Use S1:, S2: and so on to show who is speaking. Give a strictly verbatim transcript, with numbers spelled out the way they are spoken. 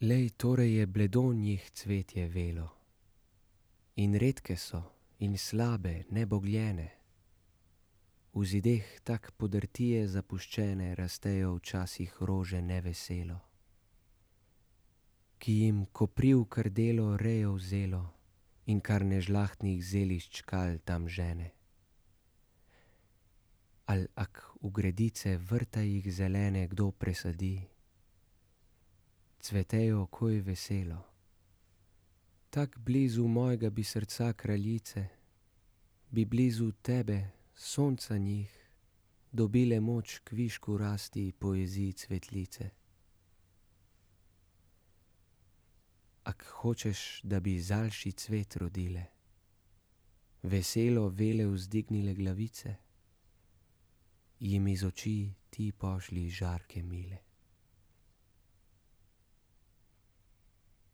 S1: Lej, torej je bledo njih cvetje velo, in redke so, in slabe, nebogljene, v zideh tak podrtije zapuščene rastejo včasih rože neveselo, ki jim kopriv krdelo rejo vzelo in kar nežlahtnih zelišč kal tam žene. Al ak v gredice vrta jih zelene kdo presadi, cvetejo koj veselo, tak blizu mojega bi srca kraljice, bi blizu tebe, sonca njih, dobile moč k višku rasti poezij cvetlice. Ak hočeš, da bi zalši cvet rodile, veselo vele vzdignile glavice, jim iz oči ti pošlji žarke mile.